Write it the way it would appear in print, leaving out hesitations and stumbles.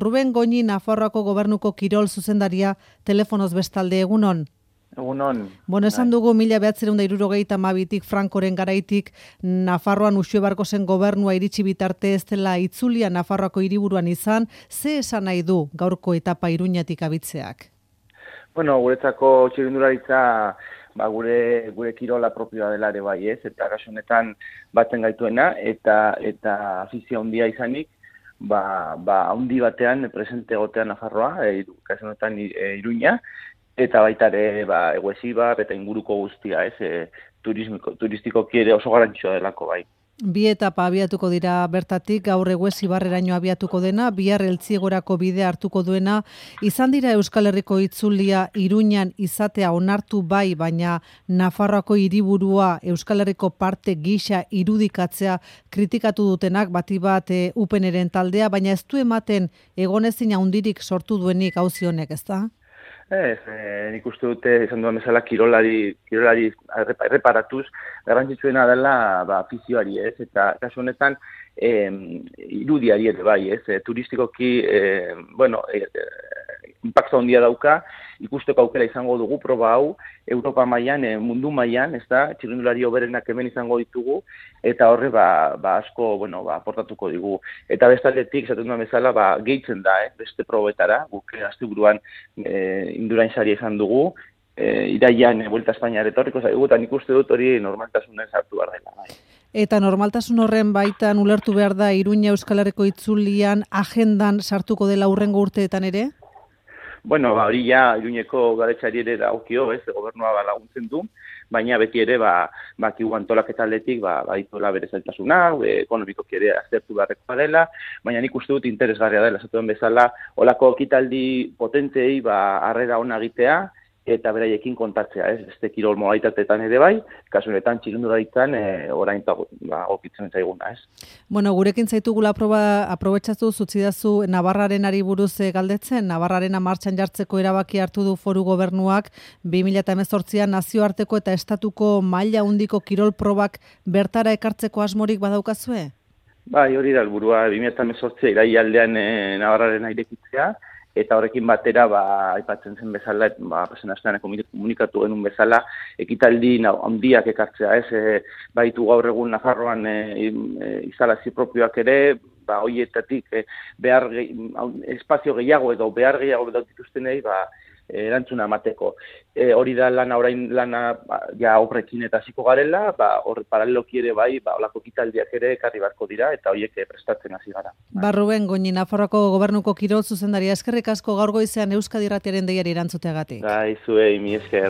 Ruben Goñi, Nafarroako Gobernuko kirol zuzendaria, telefonoz bestalde, egunon. Egunon. Bueno, esan dugu 1972tik Frankoren garaitik Nafarroan Uxue Barkosen gobernua iritsi bitarte ez dela itzulia Nafarroako hiriburuan izan, ze esan nahi du gaurko etapa Iruñatik abitzeak? Bueno, guretzako txirrindularitza gure kirola propioa dela ere bai, ez? Eta kasu honetan batzen gaituena eta afizio handia izanik, handi batean presente egotea Nafarroa, kasu honetan Iruña, eta baita ere Eguesibar eta inguruko guztia, ez? Turistikoki ere oso garrantzitsua delako bai. Bi etapa abiatuko dira bertatik, gaur Eguesibarreraino abiatuko dena, bihar Eltziegorako bidea hartuko duena. Izan dira Euskal Herriko itzulia Iruñan izatea onartu bai, baina Nafarroako hiriburua Euskal Herriko parte gisa irudikatzea kritikatu dutenak, bati bat UPNren taldea, baina ez du ematen egonezin handirik sortu duenik auzi honek, ezta? Nik uste dute, izan duan bezala, kirolari erreparatuz, garrantzitsuena dela afizioari, ez? Eta kasu honetan, irudiari ere bai, ez? Turistikoki, impacto handia dauka, ikusteko aukera izango dugu proba hau, Europa mailan, mundu mailan, ez da, txirrindulari hoberenak hemen izango ditugu, eta horre asko, aportatuko digu. Eta bestaldetik, esaten duan bezala, gehitzen da, beste probetara, guk asteburuan Indurain saria izan dugu, iraian Vuelta a España etorriko zaigu, eta nik uste dut hori normaltasunen sartu behar dela. Bai. Eta normaltasun horren baitan ulertu behar da Iruña Euskal Herriko itzulian agendan sartuko dela hurrengo urteetan ere? Bueno, hori ja Iruñeko garetxari ere dagokio, ez, gobernua laguntzen du, baina beti ere bakigu antolaketaletik badituela bere zailtasuna, ekonomikoki ere aztertu beharrekoa dela, baina nik uste dut interesgarria dela, esatuen bezala, holako ekitaldi potenteei harrera ona egitea, eta beraiekin kontatzea, ez, beste kirol modalitateetan ere bai, kasu honetan txirrindularitzan orain okitzen zaiguna, ez. Bueno, gurekin zaitugula aprobetxatu zutzidazu Navarraren ari buruz galdetzen, Navarraren martxan jartzeko erabaki hartu du foru gobernuak 2018an nazioarteko eta estatuko maila handiko kirol probak bertara ekartzeko asmorik badaukazue? Bai, hori da helburua 2018 iraialdean Navarraren airekitzea, eta horrekin batera, aipatzen zen bezala, pasen astean komunikatu genuen bezala, ekitaldi handiak ekartzea, ez? Baitu gaur egun Nafarroan instalazio propioak ere, horietatik espazio gehiago edo behar gehiago dituztenei, erantzuna emateko. Hori da orain lana obrekin eta hasiko garela, horre paraleloki ere olako ekitaldiak ere ekarri beharko dira eta horiek prestatzen hasi gara. Ruben Goñi, Nafarroako Gobernuko kirol zuzendaria, eskerrik asko gaur goizean Euskadi Irratiaren deiari erantzuteagatik. Zuei, mi esker.